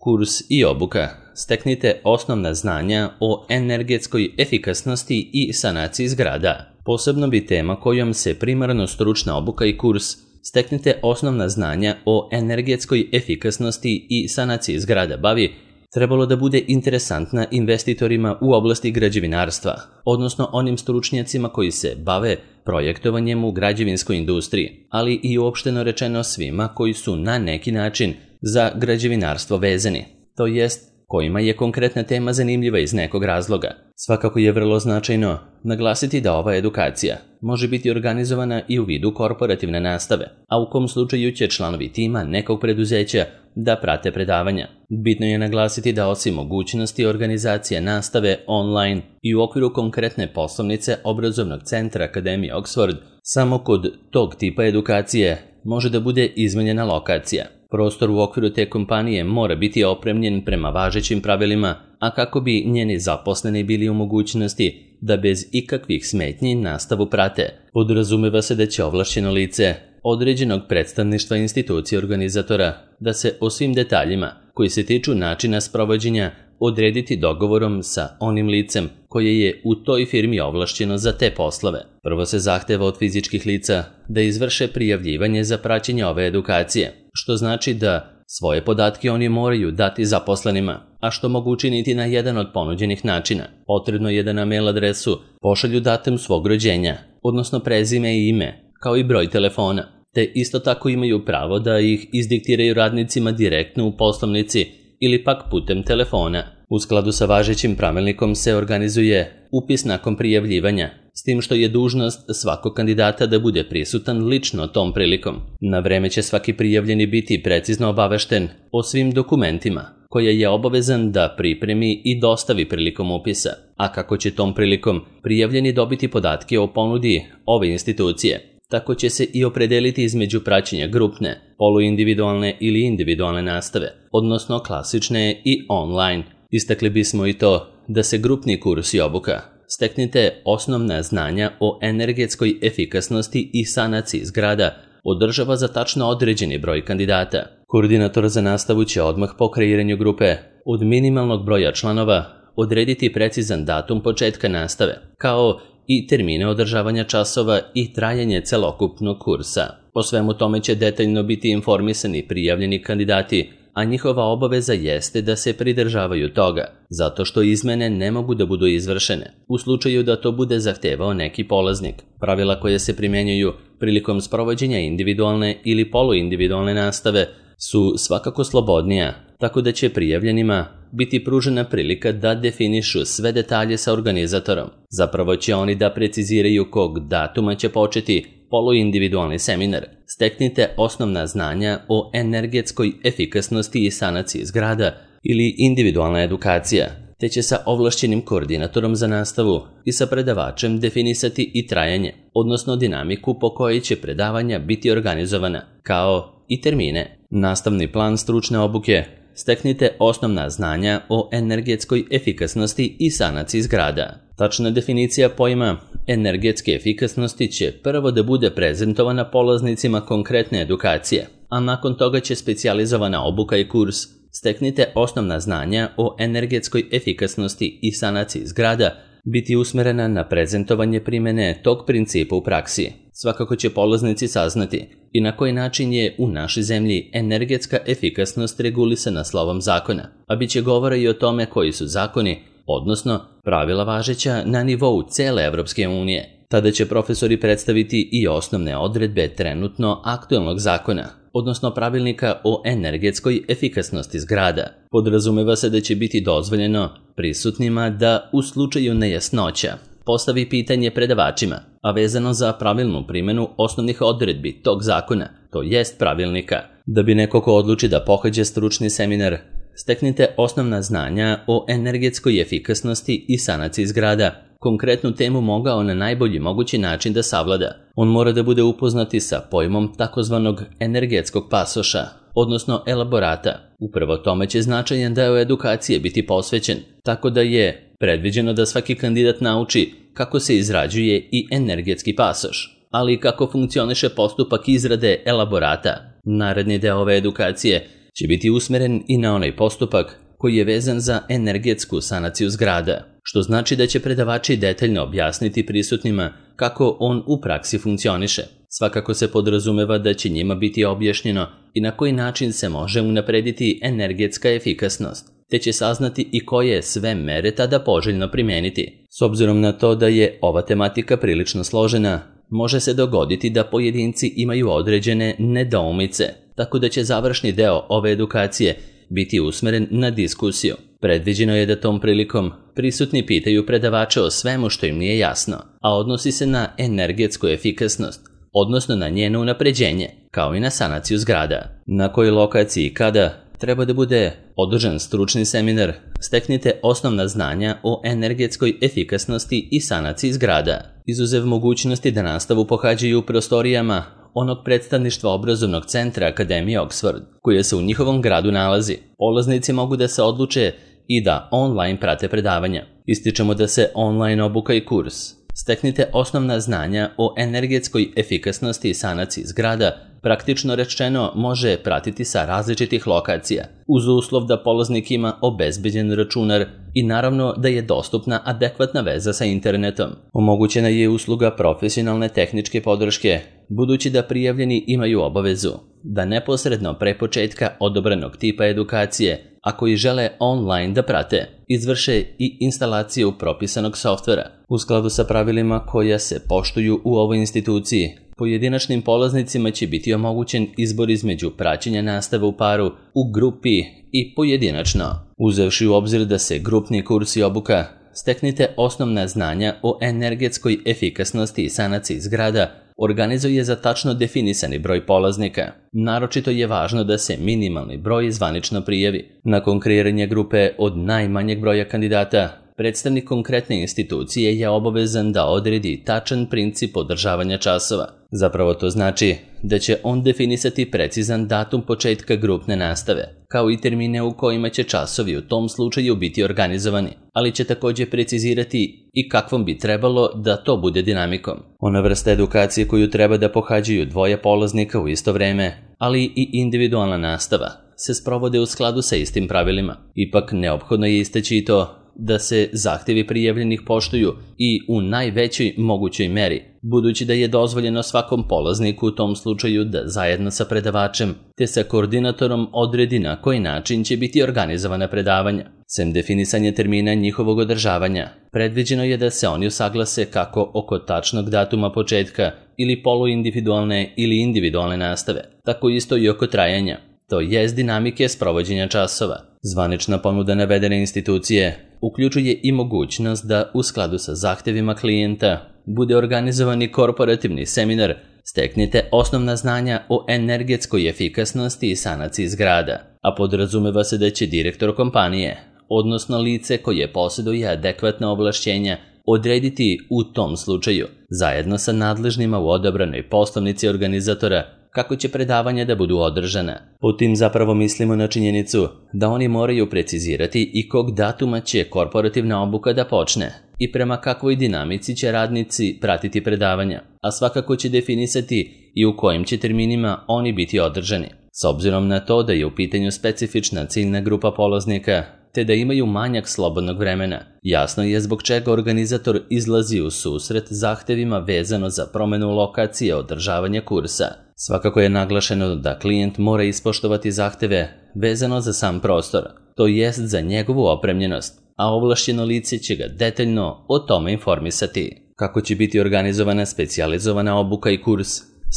Kurs i obuka. Steknite osnovna znanja o energetskoj efikasnosti i sanaciji zgrada. Posebno bi tema kojom se primarno stručna obuka i kurs Steknite osnovna znanja o energetskoj efikasnosti i sanaciji zgrada bavi trebalo da bude interesantna investitorima u oblasti građevinarstva, odnosno onim stručnjacima koji se bave projektovanjem u građevinskoj industriji, ali i uopšteno rečeno svima koji su na neki način za građevinarstvo vezani, to jest kojima je konkretna tema zanimljiva iz nekog razloga. Svakako je vrlo značajno naglasiti da ova edukacija može biti organizovana i u vidu korporativne nastave, a u kom slučaju će članovi tima nekog preduzeća da prate predavanja. Bitno je naglasiti da osim mogućnosti organizacije nastave online i u okviru konkretne poslovnice obrazovnog centra Akademije Oxford, samo kod tog tipa edukacije može da bude izmenjena lokacija. Prostor u okviru te kompanije mora biti opremljen prema važećim pravilima, a kako bi njeni zaposleni bili u mogućnosti da bez ikakvih smetnji nastavu prate, podrazumeva se da će ovlašćeno lice određenog predstavništva institucije organizatora da se o svim detaljima koji se tiču načina sprovođenja odrediti dogovorom sa onim licem koje je u toj firmi ovlašćeno za te poslove. Prvo se zahteva od fizičkih lica da izvrše prijavljivanje za praćenje ove edukacije, što znači da svoje podatke oni moraju dati zaposlenima, a što mogu učiniti na jedan od ponuđenih načina. Potrebno je da na mail adresu pošalju datum svog rođenja, odnosno prezime i ime, kao i broj telefona, te isto tako imaju pravo da ih izdiktiraju radnicima direktno u poslovnici ili pak putem telefona. U skladu sa važećim pravilnikom se organizuje upis nakon prijavljivanja, s tim što je dužnost svakog kandidata da bude prisutan lično tom prilikom. Na vreme će svaki prijavljeni biti precizno obavešten o svim dokumentima koje je obavezan da pripremi i dostavi prilikom upisa, a kako će tom prilikom prijavljeni dobiti podatke o ponudi ove institucije. Tako će se i opredeliti između praćenja grupne, poluindividualne ili individualne nastave, odnosno klasične i online. Istakli bismo i to da se grupni kurs i obuka Steknite osnovna znanja o energetskoj efikasnosti i sanaciji zgrada održava za tačno određeni broj kandidata. Koordinator za nastavu će odmah po kreiranju grupe od minimalnog broja članova odrediti precizan datum početka nastave, kao i termine održavanja časova i trajanje celokupnog kursa. O svemu tome će detaljno biti informisani prijavljeni kandidati, a njihova obaveza jeste da se pridržavaju toga, zato što izmene ne mogu da budu izvršene, u slučaju da to bude zahtevao neki polaznik. Pravila koje se primjenjuju prilikom sprovođenja individualne ili poluindividualne nastave su svakako slobodnija, tako da će prijavljenima biti pružena prilika da definišu sve detalje sa organizatorom. Zapravo će oni da preciziraju kog datuma će početi poluindividualni seminar. Steknite osnovna znanja o energetskoj efikasnosti i sanaciji zgrada ili individualna edukacija, te će sa ovlašćenim koordinatorom za nastavu i sa predavačem definisati i trajanje, odnosno dinamiku po kojoj će predavanja biti organizovana, kao i termine. Nastavni plan stručne obuke Steknite osnovna znanja o energetskoj efikasnosti i sanaciji zgrada. Tačna definicija pojma energetske efikasnosti će prvo da bude prezentovana polaznicima konkretne edukacije, a nakon toga će specijalizovana obuka i kurs Steknite osnovna znanja o energetskoj efikasnosti i sanaciji zgrada biti usmerena na prezentovanje primene tog principa u praksi. Svakako će polaznici saznati i na koji način je u našoj zemlji energetska efikasnost regulisana slovom zakona, a bit će govora i o tome koji su zakoni, odnosno pravila važeća na nivou cele Evropske unije. Tada će profesori predstaviti i osnovne odredbe trenutno aktuelnog zakona, odnosno pravilnika o energetskoj efikasnosti zgrada. Podrazumeva se da će biti dozvoljeno prisutnima da u slučaju nejasnoća postavi pitanje predavačima, a vezano za pravilnu primjenu osnovnih odredbi tog zakona, to jest pravilnika. Da bi neko ko odluči da pohađa stručni seminar, Steknite osnovna znanja o energetskoj efikasnosti i sanaciji zgrada, konkretnu temu mogao na najbolji mogući način da savlada. On mora da bude upoznati sa pojmom takozvanog energetskog pasoša, odnosno elaborata. Upravo tome će značajan deo edukacije biti posvećen, tako da je predviđeno da svaki kandidat nauči kako se izrađuje i energetski pasoš, ali i kako funkcioniše postupak izrade elaborata. Naredni deo ove edukacije će biti usmeren i na onaj postupak koji je vezan za energetsku sanaciju zgrada, što znači da će predavači detaljno objasniti prisutnima kako on u praksi funkcioniše. Svakako se podrazumeva da će njima biti objašnjeno i na koji način se može unaprediti energetska efikasnost, te će saznati i koje sve mere tada poželjno primijeniti. S obzirom na to da je ova tematika prilično složena, može se dogoditi da pojedinci imaju određene nedoumice, tako da će završni deo ove edukacije biti usmeren na diskusiju. Predviđeno je da tom prilikom prisutni pitaju predavače o svemu što im nije jasno, a odnosi se na energetsku efikasnost, odnosno na njeno unapređenje, kao i na sanaciju zgrada. Na kojoj lokaciji i kada treba da bude održan stručni seminar, steknite osnovna znanja o energetskoj efikasnosti i sanaciji zgrada, izuzev mogućnosti da nastavu pohađaju u prostorijama onog predstavništva obrazovnog centra Akademije Oxford, koje se u njihovom gradu nalazi. Polaznici mogu da se odluče i da online prate predavanja. Ističemo da se online obuka i kurs Steknite osnovna znanja o energetskoj efikasnosti i sanaciji zgrada, praktično rečeno može pratiti sa različitih lokacija, uz uslov da polaznik ima obezbeđen računar i naravno da je dostupna adekvatna veza sa internetom. Omogućena je usluga profesionalne tehničke podrške, budući da prijavljeni imaju obavezu da neposredno pre početka odobranog tipa edukacije, a koji žele online da prate, izvrše i instalaciju propisanog softvera. U skladu sa pravilima koja se poštuju u ovoj instituciji, pojedinačnim polaznicima će biti omogućen izbor između praćenja nastave u paru, u grupi i pojedinačno. Uzevši u obzir da se grupni kurs i obuka Steknite osnovna znanja o energetskoj efikasnosti i sanaciji zgrada organizuje za tačno definisani broj polaznika. Naročito je važno da se minimalni broj zvanično prijavi. Nakon kreiranja grupe od najmanjeg broja kandidata, predstavnik konkretne institucije je obavezan da odredi tačan princip održavanja časova. Zapravo to znači da će on definisati precizan datum početka grupne nastave, kao i termine u kojima će časovi u tom slučaju biti organizovani, ali će također precizirati i kakvom bi trebalo da to bude dinamikom. Ona vrsta edukacije koju treba da pohađaju dvoje polaznika u isto vreme, ali i individualna nastava, se sprovode u skladu sa istim pravilima. Ipak neophodno je istaći i to da se zahtjevi prijavljenih poštuju i u najvećoj mogućoj meri, budući da je dozvoljeno svakom polazniku u tom slučaju da zajedno sa predavačem te sa koordinatorom odredi na koji način će biti organizovana predavanja. Sem definisanja termina njihovog održavanja, predviđeno je da se oni usaglase kako oko tačnog datuma početka ili poluindividualne ili individualne nastave, tako isto i oko trajanja, to jest dinamike sprovođenja časova. Zvanična ponuda navedene institucije uključuje i mogućnost da u skladu sa zahtjevima klijenta bude organizovani korporativni seminar Steknite osnovna znanja o energetskoj efikasnosti i sanaciji zgrada, a podrazumeva se da će direktor kompanije, odnosno lice koje posjeduje adekvatna ovlašćenja, odrediti u tom slučaju, zajedno sa nadležnima u odabranoj poslovnici organizatora, kako će predavanja da budu održana. Po tim zapravo mislimo na činjenicu da oni moraju precizirati i kog datuma će korporativna obuka da počne i prema kakvoj dinamici će radnici pratiti predavanja, a svakako će definisati i u kojim će terminima oni biti održani. S obzirom na to da je u pitanju specifična ciljna grupa polaznika, te da imaju manjak slobodnog vremena, jasno je zbog čega organizator izlazi u susret zahtevima vezano za promjenu lokacije održavanja kursa. Svakako je naglašeno da klijent mora ispoštovati zahteve vezano za sam prostor, to jest za njegovu opremljenost, a ovlašćeno lice će ga detaljno o tome informisati. Kako će biti organizovana specijalizovana obuka i kurs?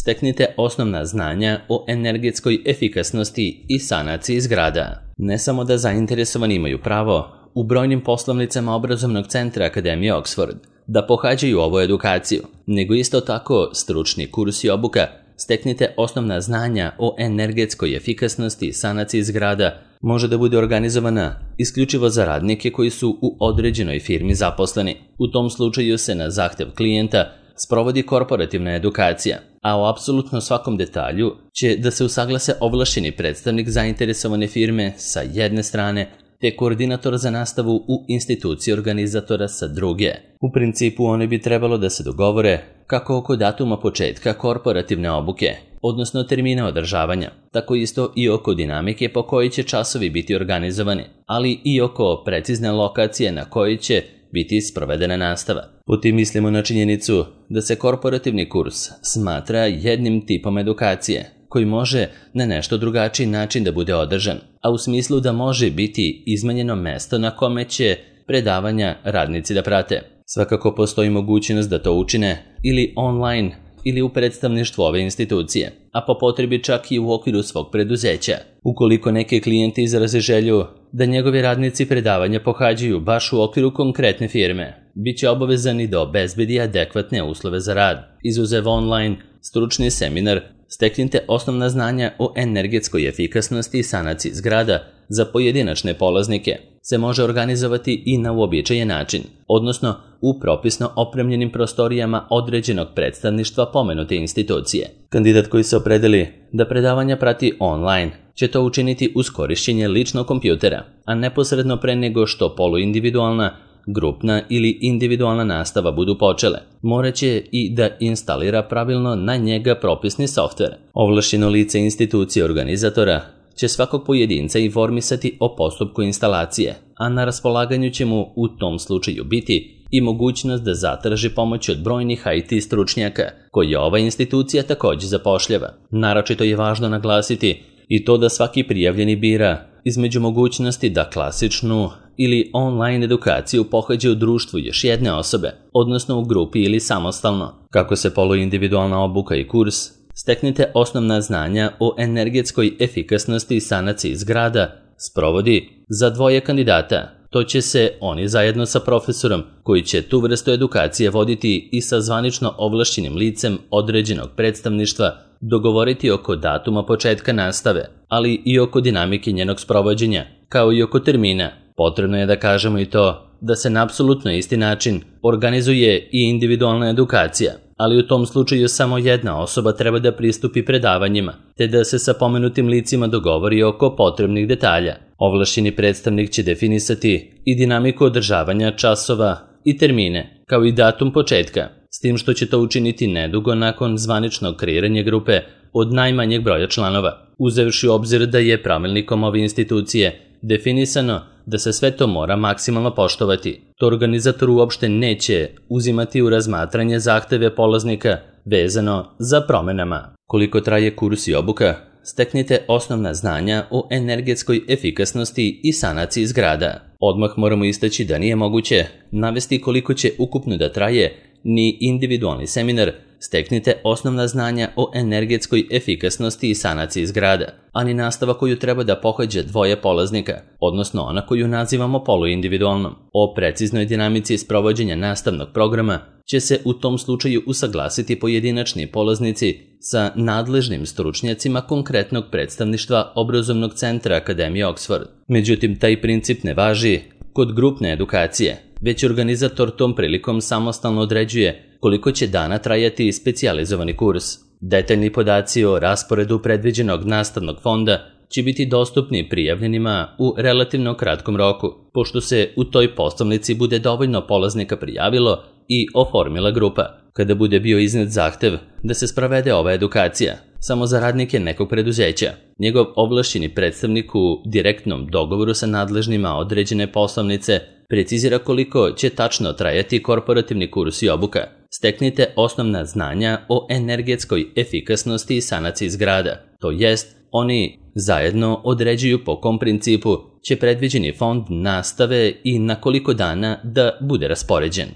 Steknite osnovna znanja o energetskoj efikasnosti i sanaciji zgrada. Ne samo da zainteresovani imaju pravo u brojnim poslovnicama obrazovnog centra Akademije Oxford da pohađaju ovu edukaciju, nego isto tako stručni kurs i obuka Steknite osnovna znanja o energetskoj efikasnosti i sanaciji zgrada može da bude organizovana isključivo za radnike koji su u određenoj firmi zaposleni. U tom slučaju se na zahtev klijenta sprovodi korporativna edukacija, a o apsolutno svakom detalju će da se usaglase ovlašćeni predstavnik zainteresovane firme sa jedne strane, te koordinator za nastavu u instituciji organizatora sa druge. U principu oni bi trebalo da se dogovore kako oko datuma početka korporativne obuke, odnosno termina održavanja, tako isto i oko dinamike po kojoj će časovi biti organizovani, ali i oko precizne lokacije na kojoj će biti sprovedena nastava. Po tim mislimo na činjenicu da se korporativni kurs smatra jednim tipom edukacije, koji može na nešto drugačiji način da bude održan, a u smislu da može biti izmenjeno mesto na kome će predavanja radnici da prate. Svakako postoji mogućnost da to učine ili online ili u predstavništvu ove institucije, a po potrebi čak i u okviru svog preduzeća. Ukoliko neki klijenti izraze želju da njegovi radnici predavanja pohađaju baš u okviru konkretne firme, bit će obavezani da obezbedi adekvatne uslove za rad. Izuzev online, stručni seminar Steknite osnovna znanja o energetskoj efikasnosti i sanaciji zgrada za pojedinačne polaznike se može organizovati i na uobičajen način, odnosno u propisno opremljenim prostorijama određenog predstavništva pomenute institucije. Kandidat koji se opredeli da predavanja prati online će to učiniti uz korišćenje ličnog kompjutera, a neposredno pre nego što poluindividualna, grupna ili individualna nastava budu počele. Moraće i da instalira pravilno na njega propisni softver. Ovlašćeno lice institucije organizatora će svakog pojedinca informisati o postupku instalacije, a na raspolaganju će mu u tom slučaju biti i mogućnost da zatraži pomoć od brojnih IT stručnjaka koje ova institucija također zapošljava. Naročito je važno naglasiti i to da svaki prijavljeni bira između mogućnosti da klasičnu ili online edukaciju pohađa u društvu još jedne osobe, odnosno u grupi ili samostalno. Kako se poluindividualna obuka i kurs Steknite osnovna znanja o energetskoj efikasnosti i sanaciji zgrada sprovodi za dvoje kandidata. To će se oni zajedno sa profesorom koji će tu vrstu edukacije voditi i sa zvanično ovlašćenim licem određenog predstavništva dogovoriti oko datuma početka nastave, ali i oko dinamike njenog sprovođenja, kao i oko termina. Potrebno je da kažemo i to da se na apsolutno isti način organizuje i individualna edukacija, ali u tom slučaju samo jedna osoba treba da pristupi predavanjima, te da se sa pomenutim licima dogovori oko potrebnih detalja. Ovlašćeni predstavnik će definisati i dinamiku održavanja časova i termine, kao i datum početka, s tim što će to učiniti nedugo nakon zvaničnog kreiranja grupe od najmanjeg broja članova, uzevši u obzir da je pravilnikom ove institucije definisano da se sve to mora maksimalno poštovati. To organizator uopšte neće uzimati u razmatranje zahteve polaznika vezano za promenama. Koliko traje kurs i obuka? Steknite osnovna znanja o energetskoj efikasnosti i sanaciji zgrada. Odmah moramo istaći da nije moguće navesti koliko će ukupno da traje ni individualni seminar Steknite osnovna znanja o energetskoj efikasnosti i sanaciji zgrada, ani nastava koju treba da pohađa dvoje polaznika, odnosno ona koju nazivamo poluindividualnom. O preciznoj dinamici sprovođenja nastavnog programa će se u tom slučaju usaglasiti pojedinačni polaznici sa nadležnim stručnjacima konkretnog predstavništva obrazovnog centra Akademije Oxford. Međutim, taj princip ne važi kod grupne edukacije, već organizator tom prilikom samostalno određuje koliko će dana trajati specijalizovani kurs. Detaljni podaci o rasporedu predviđenog nastavnog fonda će biti dostupni prijavljenima u relativno kratkom roku, pošto se u toj poslovnici bude dovoljno polaznika prijavilo i oformila grupa. Kada bude bio iznet zahtev da se sprovede ova edukacija samo za radnike nekog preduzeća, njegov ovlašćeni predstavnik u direktnom dogovoru sa nadležnima određene poslovnice precizira koliko će tačno trajati korporativni kurs i obuka. Steknite osnovna znanja o energetskoj efikasnosti i sanaciji zgrada, to jest oni zajedno određuju po kom principu će predviđeni fond nastave i na koliko dana da bude raspoređen.